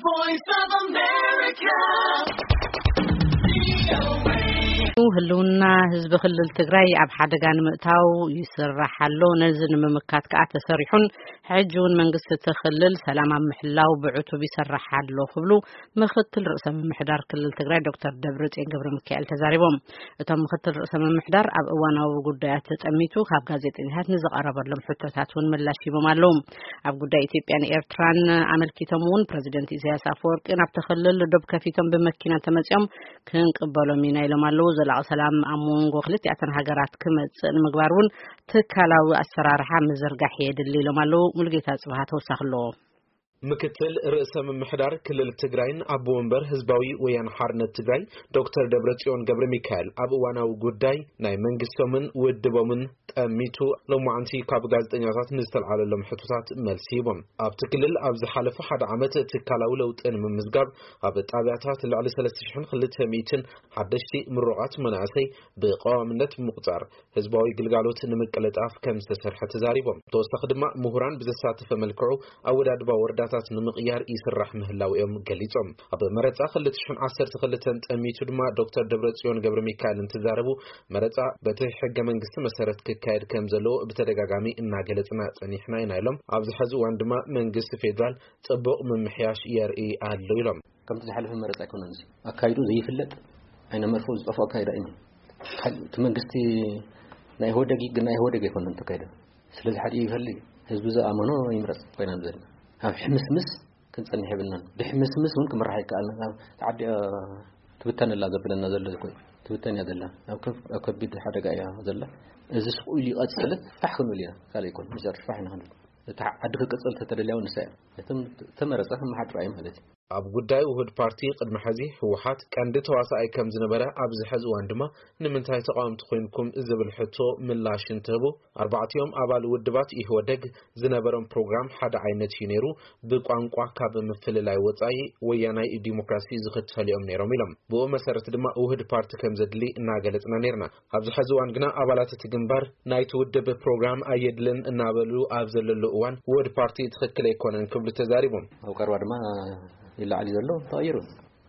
Voice of America. ህልውና ህዝቢ ክልል ትግራይ ኣብ ሓደጋ ንምእታው ይስራሕ ኣሎ። ነዚ ንምምካት ከዓ ተሰሪሑን ሕጂ እውን መንግስቲ እቲ ክልል ሰላም ኣብ ምሕላው ብዕቱብ ይሰርሕ ኣሎ ክብሉ ምክትል ርእሰ ምምሕዳር ክልል ትግራይ ዶክተር ደብረጽዮን ገብረ ሚካኤል ተዛሪቦም። እቶም ምክትል ርእሰ ምምሕዳር ኣብ እዋናዊ ጉዳያት ተጠሚቱ ካብ ጋዜጠኛታት ንዝቐረበሎም ሕቶታት እውን ምላሽ ሂቦም ኣለዉ። ኣብ ጉዳይ ኢትዮጵያን ኤርትራን ኣመልኪቶም እውን ፕረዚደንት ኢሳያስ ኣፈወርቂ ናብቲ ክልል ዶብ ከፊቶም ብመኪና ተመጺኦም ክንቅበሎም ኢና ኢሎም ኣለዉ። ዘላቒ ሰላም ኣብ መንጎ ክልቲኣተን ሃገራት ክመጽእ ንምግባር እውን ትካላዊ ኣሰራርሓ ምዝርጋሕ የድሊ ኢሎም ኣለዉ። ሙሉጌታ ጽብሃ ተወሳኺ ኣለዎ። ምክትል ርእሰ ምምሕዳር ክልል ትግራይን ኣቦ ወንበር ህዝባዊ ወያነ ሓርነት ትግራይ ዶክተር ደብረጽዮን ገብረ ሚካኤል ኣብ እዋናዊ ጉዳይ ናይ መንግስቶምን ውድቦምን ጠሚቱ ሎማዓንቲ ካብ ጋዜጠኛታት ንዝተልዓለሎም ሕቶታት መልሲ ሂቦም። ኣብቲ ክልል ኣብ ዝሓለፈ ሓደ ዓመት ትካላዊ ለውጢ ንምምዝጋብ ኣብ ጣብያታት ልዕሊ ሰለስተ ሽሕን ክልተ ሚእትን ሓደሽቲ ምሩቓት መናእሰይ ብቀዋምነት ብምቁፃር ህዝባዊ ግልጋሎት ንምቅልጣፍ ከም ዝተሰርሐ ተዛሪቦም። ተወሳኺ ድማ ምሁራን ብዘሳተፈ መልክዑ ኣወዳድባ ወረዳታት ንምቕያር ይስራሕ ምህላው እዮም ገሊጾም። ኣብ መረጻ ክልተ ሽሕን ዓሰርተ ክልተን ጠሚቱ ድማ ዶክተር ደብረጽዮን ገብረ ሚካኤል እንትዛረቡ መረጻ በቲ ሕገ መንግስቲ መሰረት ክካየድ ከም ዘለዎ ብተደጋጋሚ እናገለጽና ጸኒሕና ኢና ኢሎም። ኣብዚ ሕዚ እዋን ድማ መንግስቲ ፌዴራል ጽቡቕ ምምሕያሽ የርኢ ኣሎ ኢሎም። ከምቲ ዝሓለፈ መረጻ ኣይኮነን፣ እዚ ኣካይዱ ዘይፍለጥ፣ ዓይነ መርፍኡ ዝጠፍኦ ኣካይዳ እዩ። ካልእ እቲ መንግስቲ ናይ ኢህወደግ ግን ናይ ኢህወደግ ኣይኮነን ተካይደ። ስለዚ ሓደ ይፈሊ፣ ህዝቢ ዝኣመኖ ይምረጽ ኮይና ዘለና። ኣብ ሕምስምስ ክንጸንሕ የብልናን። ድሕምስምስ እውን ክምራሕ ኣይከኣልን። ኣብ ተዓዲ ትብተን ኣላ ዘብለና ዘሎ እኮ እዩ። ትብተን እያ ዘላ። ኣብ ከብ-፣ ኣብ ከቢድ ሓደጋ እያ ዘላ። እዚ ስቕ ኢሉ ይቐጽል፣ ፋሕ ክንብል ኢና። ካልእ ኣይኮን፣ መጨረሻ ፋሕ ኢና ክንብል። እቲ ዓዲ ክቅጽል ተተደልያ እውን ንሳ እያ። እቶም ተመረጸ ክመሓድራ እዩ ማለት እዩ። ኣብ ጉዳይ ውሁድ ፓርቲ ቅድሚ ሕዚ ህወሓት ቀንዲ ተዋሳኣይ ከም ዝነበረ ኣብዚ ሕዚ እዋን ድማ ንምንታይ ተቃወምቲ ኮይንኩም ዝብል ሕቶ ምላሽ እንትህቡ ኣርባዕቲኦም ኣባል ውድባት ኢህወደግ ዝነበሮም ፕሮግራም ሓደ ዓይነት እዩ ነይሩ። ብቋንቋ ካብ ምፍልላይ ወፃኢ ወያናይ ዲሞክራሲ ዝኽተሉ እዮም ነይሮም ኢሎም። ብኡ መሰረት ድማ ውህድ ፓርቲ ከም ዘድሊ እናገለፅና ነይርና። ኣብዚ ሕዚ እዋን ግና ኣባላት እቲ ግንባር ናይቲ ውድብ ፕሮግራም ኣየድልን እናበሉ ኣብ ዘለሉ እዋን ውህድ ፓርቲ ትኽክል ኣይኮነን ክብሉ ተዛሪቦም። ኣብ ቀረባ ድማ ይለዓል ዘሎ ተቐይሩ።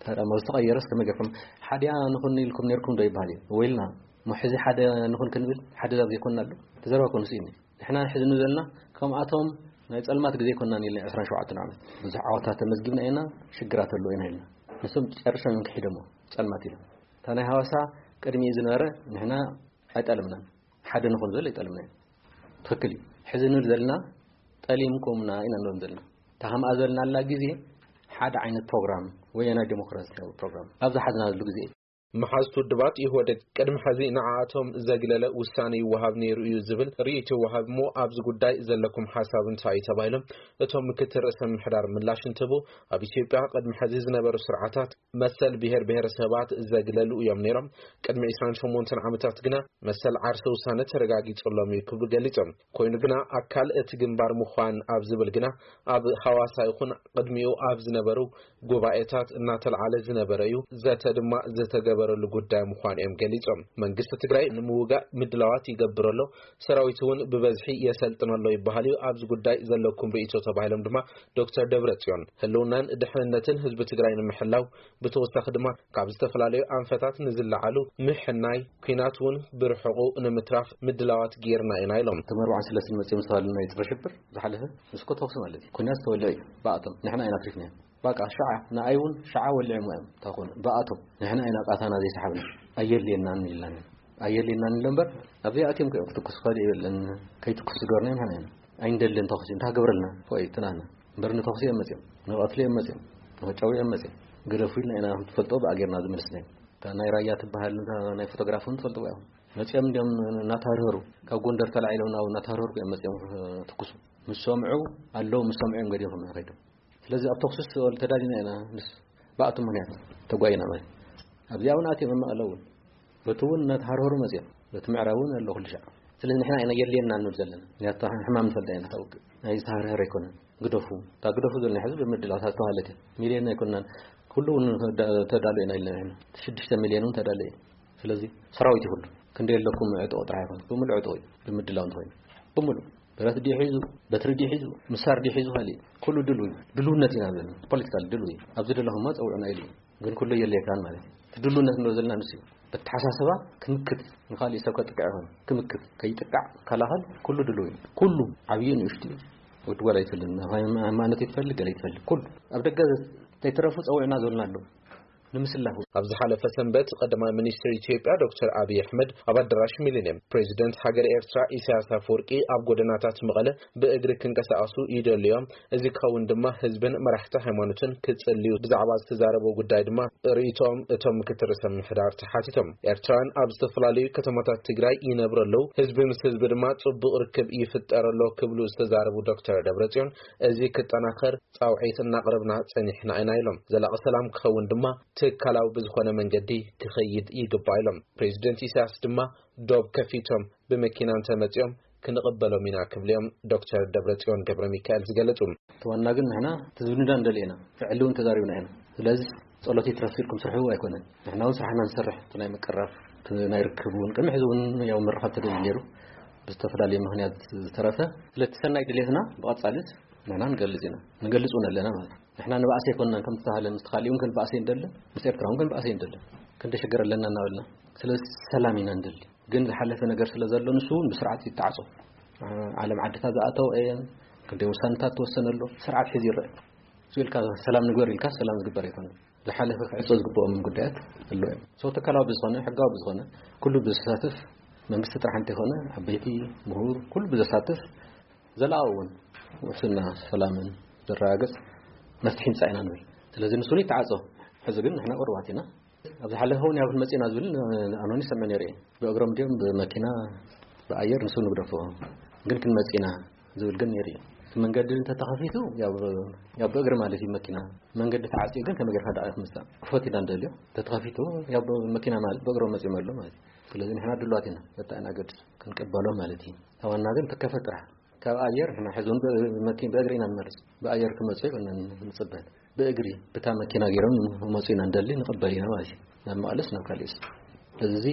ታዲያ ኣብ ዝተቐየረስ ከመይ ጌርኩም ሓዲኣ ንኹን ኢልኩም ነይርኩም ዶ ይበሃል እዩ? ወይልና እሞ ሕዚ ሓደ ንኹን ክንብል ሓደ ዛብ ዘይኮንና ኣሎ? ተዘረባ ኮንስ እዩ። ንሕና ሕዚ ንዘልና ከምኣቶም ናይ ጸልማት ግዜ ኮንና ኢልና ዕስራን ሸውዓተን ዓመት ብዙሕ ዓወታት ተመዝጊብና ኢና፣ ሽግራት ኣለዎ ኢና ኢልና። ንሶም ጨርሶም እዮም ክሒዶሞ ጸልማት ኢሎም። እታ ናይ ሃዋሳ ቅድሚኡ ዝነበረ ንሕና ኣይጠለምናን። ሓደ ንኹን ዝብል ኣይጠለምናን። ትኽክል እዩ። ሕዚ ንብል ዘለና ጠሊምኩምና ኢና ንብሎም ዘለና። እታ ከምኣ ዝበልናላ ግዜ ሓደ ዓይነት ፕሮግራም፣ ወያናይ ዴሞክራሲያዊ ፕሮግራም ኣብ ዝሓዝናሉ ግዜ እዩ። መሓዝቲ ውድባት ኢህወደግ ቅድሚ ሕዚ ንዓኣቶም ዘግለለ ውሳነ ይወሃብ ነይሩ እዩ ዝብል ርእይቶ ይወሃብ እሞ ኣብዚ ጉዳይ ዘለኩም ሓሳብ እንታይ እዩ ተባሂሎም እቶም ምክትል ርእሰ ምምሕዳር ምላሽ እንትህቡ ኣብ ኢትዮጵያ ቅድሚ ሕዚ ዝነበሩ ስርዓታት መሰል ብሄር ብሄረሰባት ዘግለሉ እዮም ነይሮም። ቅድሚ ዕስራን ሸሞንተን ዓመታት ግና መሰል ዓርሰ ውሳነ ተረጋጊጹሎም እዩ ክብሉ ገሊጾም። ኮይኑ ግና ኣካል እቲ ግንባር ምዃን ኣብ ዝብል ግና ኣብ ሃዋሳ ይኹን ቅድሚኡ ኣብ ዝነበሩ ጉባኤታት እናተልዓለ ዝነበረ እዩ። ዘተ ድማ ዝተገበረሉ ጉዳይ ምዃኑ እዮም ገሊጾም። መንግስቲ ትግራይ ንምውጋእ ምድላዋት ይገብር ኣሎ፣ ሰራዊት እውን ብበዝሒ የሰልጥን ኣሎ ይበሃል እዩ። ኣብዚ ጉዳይ ዘለኩም ርእይቶ ተባሂሎም ድማ ዶክተር ደብረጽዮን ህልውናን ድሕንነትን ህዝቢ ትግራይ ንምሕላው ብተወሳኺ ድማ ካብ ዝተፈላለዩ ኣንፈታት ንዝለዓሉ ምሕናይ ኲናት እውን ብርሑቑ ንምትራፍ ምድላዋት ጌርና ኢና ኢሎም። እቶም ኣርባዓን ሰለስተን መጺኦም ዝተባህሉ ናይ ጸረ ሽብር ዝሓለፈ ንስኮ ተኹሲ ማለት እዩ። ኲናት ዝተወልዐ እዩ ብኣቶም። ንሕና ኢና ኣትሪፍናዮ። በቃ ሸዓ ንኣይ እውን ሸዓ ወሊዖም እዮም። እንታይ ኮኑ ብኣቶም ንሕና ኢና ቃታና ዘይሰሓብና። ኣየድልየናን ኢልናን ኢና። ኣየድልየናን ኢሎ እምበር ኣብዚኣ ኣትዮም እዮም ክትኩሱ ካልእ የለን። ከይትኩሱ ዝገበርና ንሕና ኢና። ኣይንደልን ተኹሲ እንታይ ክገብረልና? ፎይ ትናና እምበር ንተኹሲ እዮም መጺኦም፣ ንቐትሊ እዮም መጺኦም፣ ንኸጫው እዮም መጺኦም። ግደፉ ኢልና ኢና ትፈልጦ ብኣ ጌርና ዝመለስናዮም። እታ ናይ ራያ ትበሃል እታ ናይ ፎቶግራፍ እውን ትፈልጥዋ ኢኹም። መጺኦም እንዲኦም እናተሃርሀሩ ካብ ጎንደር ተላዒሎም ናብ እናተሃርሀሩ እዮም መጺኦም ክትኩሱ። ምስ ሰምዑ ኣለዉ፣ ምስ ሰምዑ እዮም ገዲፎም ከይዶም። ስለዚ ኣብ ተኹስስ ተዳሊና ኢና ምስ ብኣቶም ምኽንያት ተጓይና ማለት ኣብዚኣ እውን ኣትዮም ኣብ መቐለ እውን በቲ እውን እናተሃርሀሩ መፅኦም በቲ ምዕራብ እውን ኣሎ ኩሉ ሻዕ። ስለዚ ንሕና ኢና የድልየና ንብል ዘለና ምክንያቱ ሕማም ንፈልጣ ኢና ታውቅ ናይ ዝተሃርሀረ ኣይኮነን። ግደፉ እታ ግደፉ ዘለና ሕዚ ብምድላው እታ ዝተባሃለት እያ። ሚልዮን ኣይኮናን ኩሉ እውን ተዳሉ ኢና ኢልና ንሕና ሽዱሽተ ሚልዮን እውን ተዳለ እዩ። ስለዚ ሰራዊት ይኹሉ ክንደይ ኣለኩም ዕጥቑ ጥራሕ ይኹን ብምሉእ ዕጥቑ እዩ ብምድላው እንተኾይኑ ብምሉእ ብረት ድዩ ሒዙ፣ በትሪ ድዩ ሒዙ፣ ምሳር ድዩ ሒዙ፣ ካልእ ኩሉ ድሉው እዩ። ድልውነት ኢና ዘለና፣ ፖለቲካል ድሉው እዩ። ኣብዚ ዘለኹማ ጸውዑና ኢሉ እዩ። ግን ኩሉ የድልየካን ማለት እዩ። እቲ ድልውነት ንብሎ ዘለና ንሱ እዩ። በተሓሳስባ ክምክት፣ ንኻልእ ሰብ ከጥቅዕ ይኾን ክምክት፣ ከይጥቃዕ፣ ከላኸል ኩሉ ድሉው እዩ። ኩሉ ዓብዪ ንእሽቱ እዩ። ወዲ ጓል ኣይትፈልግ፣ ሃይማኖት ይትፈልግ፣ ገለ ይትፈልግ፣ ኩሉ ኣብ ደገ ዘይተረፉ ጸውዕና ዝበልና ኣለዉ። ንምስላፉ። ኣብ ዝሓለፈ ሰንበት ቀዳማይ ሚኒስትር ኢትዮጵያ ዶክተር ኣብይ ኣሕመድ ኣብ ኣዳራሽ ሚሊኒየም ፕሬዚደንት ሃገር ኤርትራ ኢሳያስ ኣፈወርቂ ኣብ ጎደናታት መቐለ ብእግሪ ክንቀሳቐሱ ይደልዮም። እዚ ክኸውን ድማ ህዝብን መራሕቲ ሃይማኖትን ክጽልዩ ብዛዕባ ዝተዛረበ ጉዳይ ድማ ርእይቶኦም እቶም ምክትል ርእሰ ምምሕዳር ተሓቲቶም። ኤርትራውያን ኣብ ዝተፈላለዩ ከተማታት ትግራይ ይነብሩ ኣለዉ። ህዝቢ ምስ ህዝቢ ድማ ጽቡቕ ርክብ ይፍጠር ኣሎ ክብሉ ዝተዛረቡ ዶክተር ደብረጽዮን፣ እዚ ክጠናኸር ጻውዒት እናቕረብና ጸኒሕና ኢና ኢሎም። ዘላቒ ሰላም ክኸውን ድማ ትካላዊ ብዝኾነ መንገዲ ክኸይድ ይግባእ ኢሎም። ፕሬዚደንት ኢሳያስ ድማ ዶብ ከፊቶም ብመኪና እንተመጺኦም ክንቕበሎም ኢና ክብሉ እዮም ዶክተር ደብረጽዮን ገብረ ሚካኤል ዝገለጹ። እቲ ዋና ግን ንሕና እቲ ዝብልና ንደሊ ኢና፣ ፍዕሊ እውን ተዛሪብና ኢና። ስለዚ ጸሎት ይትረፍ ኢልኩም ስርሑ ኣይኮነን። ንሕና እውን ስራሕና ንሰርሕ፣ እቲ ናይ ምቅራብ፣ እቲ ናይ ርክብ እውን ቅድሚ ሕዚ እውን ያው ምርኻብ ተደልዩ ነይሩ፣ ብዝተፈላለየ ምኽንያት ዝተረፈ። ስለቲ ሰናይ ድሌትና ብቐጻሊስ ንሕና ንገልጽ ኢና፣ ንገልጽ እውን ኣለና ማለት እዩ። ንሕና ንባእሲ ኣይኮንናን ከም ዝተባህለ፣ ምስ ካልእ እውን ክንባእሲ እንደልን፣ ምስ ኤርትራ እውን ክንባእሲ እንደልን፣ ክንደሸገር ኣለና እናበልና። ስለዚ ሰላም ኢና እንደሊ። ግን ዝሓለፈ ነገር ስለ ዘሎ ንሱ እውን ብስርዓት ይተዓጾ። ዓለም ዓድታት ዝኣተወ እየን፣ ክንደይ ውሳነታት ተወሰነ ኣሎ፣ ስርዓት ሒዙ ይረአ። እሱ ኢልካ ሰላም ንግበር ኢልካ ሰላም ዝግበር ኣይኮነን። ዝሓለፈ ክዕጾ ዝግብኦም ጉዳያት ኣሎ እዮም። ሰው ተካላዊ ብዝኾነ፣ ሕጋዊ ብዝኾነ፣ ኩሉ ብዝሳተፍ፣ መንግስቲ ጥራሕ እንተይኮነ፣ ዓበይቲ፣ ምሁር፣ ኩሉ ብዘሳተፍ፣ ዘለኣዊ እውን ውሕስና ሰላምን ዘረጋግጽ መፍትሒ ምጻእ ኢና ንብል። ስለዚ ንሱ ይተዓጾ። ሕዚ ግን ንሕና ቁሩባት ኢና። ኣብ ዝሓለፈ እውን ያው ክንመጽእ ኢና ዝብል ኣኖኒ ሰምዕ ነይረ እየ። ብእግሮም ድዮም ብመኪና ብኣየር ንሱ ንግደፎ። ግን ክንመጽእ ኢና ዝብል ግን ነይሩ እዩ። እቲ መንገዲ እንተተኸፊቱ ያው ያው ብእግሪ ማለት እዩ መኪና። መንገዲ ተዓጽዩ ግን ከመይ ጌርካ ደኣ ክምጻእ? ክፈት ኢና ንደልዮ። እንተተኸፊቱ ያው መኪና ማለት ብእግሮም መጺኦም ኣሎ ማለት እዩ። ስለዚ ንሕና ድሉዋት ኢና። በታ ኢና ገድስ ክንቅበሎ ማለት እዩ። ተዋና ግን ትከፈት ጥራሕ። ካብ ኣየር ንሕና ሕዚ እውን ብ-፣ መኪ-፣ ብእግሪ ኢና ንመርጽ። ብኣየር ክመጹ ኣይኮነን ንጽበ። ብእግሪ ብታ መኪና ገይሮም ክመጹ ኢና ንደሊ፣ ንቕበል ኢና ማለት እዩ። ናብ መቐለስ ናብ ካልእስ። ስለዚ እዚ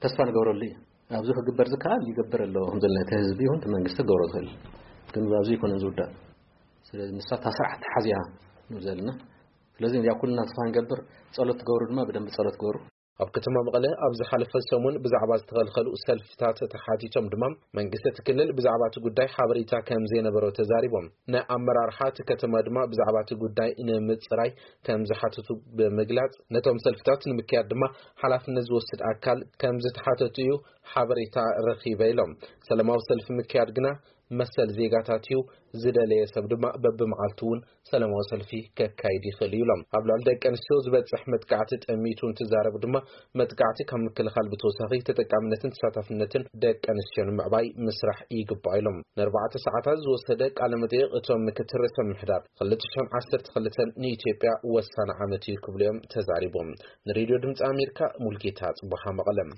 ተስፋ ንገብረሉ እዩ። ኣብዚ ክግበር ዝከኣል ይገብር ኣሎ። ከም ዘለና እቲ ህዝቢ ይኹን እቲ መንግስቲ ክገብሮ ዝኽእል። ግን ኣብዚ ኣይኮነን ዝውዳእ። ስለዚ ንሳ እታ ስርዓት ተሓዚያ ንብል ዘለና። ስለዚ ያው ኩልና ተስፋ ንገብር፣ ጸሎት ትገብሩ ድማ ብደንብ ጸሎት ግበሩ። ኣብ ከተማ መቐለ ኣብ ዝሓለፈ ሰሙን ብዛዕባ ዝተኸልከሉ ሰልፍታት ተሓቲቶም ድማ መንግስቲ እቲ ክልል ብዛዕባ እቲ ጉዳይ ሓበሬታ ከም ዘይነበሮ ተዛሪቦም። ንኣመራርሓ እቲ ከተማ ድማ ብዛዕባ እቲ ጉዳይ ንምጽራይ ከም ዝሓተቱ ብምግላጽ፣ ነቶም ሰልፍታት ንምክያድ ድማ ሓላፍነት ዝወስድ ኣካል ከም ዝተሓተቱ እዩ ሓበሬታ ረኺበ ኢሎም። ሰላማዊ ሰልፊ ምክያድ ግና መሰል ዜጋታት እዩ፣ ዝደለየ ሰብ ድማ በብመዓልቱ እውን ሰላማዊ ሰልፊ ከካይድ ይኽእል እዩ ኢሎም። ኣብ ልዕሊ ደቂ ኣንስትዮ ዝበጽሕ መጥቃዕቲ ጠሚቱ እንትዛረቡ ድማ፣ መጥቃዕቲ ካብ ምክልኻል ብተወሳኺ ተጠቃምነትን ተሳታፍነትን ደቂ ኣንስትዮ ንምዕባይ ምስራሕ ይግባእ ኢሎም። ንኣርባዕተ ሰዓታት ዝወሰደ ቃለ መጠይቕ እቶም ምክትል ርእሰ ምምሕዳር ክልተ ሽሕን ዓሰርተ ክልተን ንኢትዮጵያ ወሳኒ ዓመት እዩ ክብሉ እዮም ተዛሪቦም። ንሬድዮ ድምፂ ኣሜሪካ ሙልጌታ ጽቡሓ መቐለም።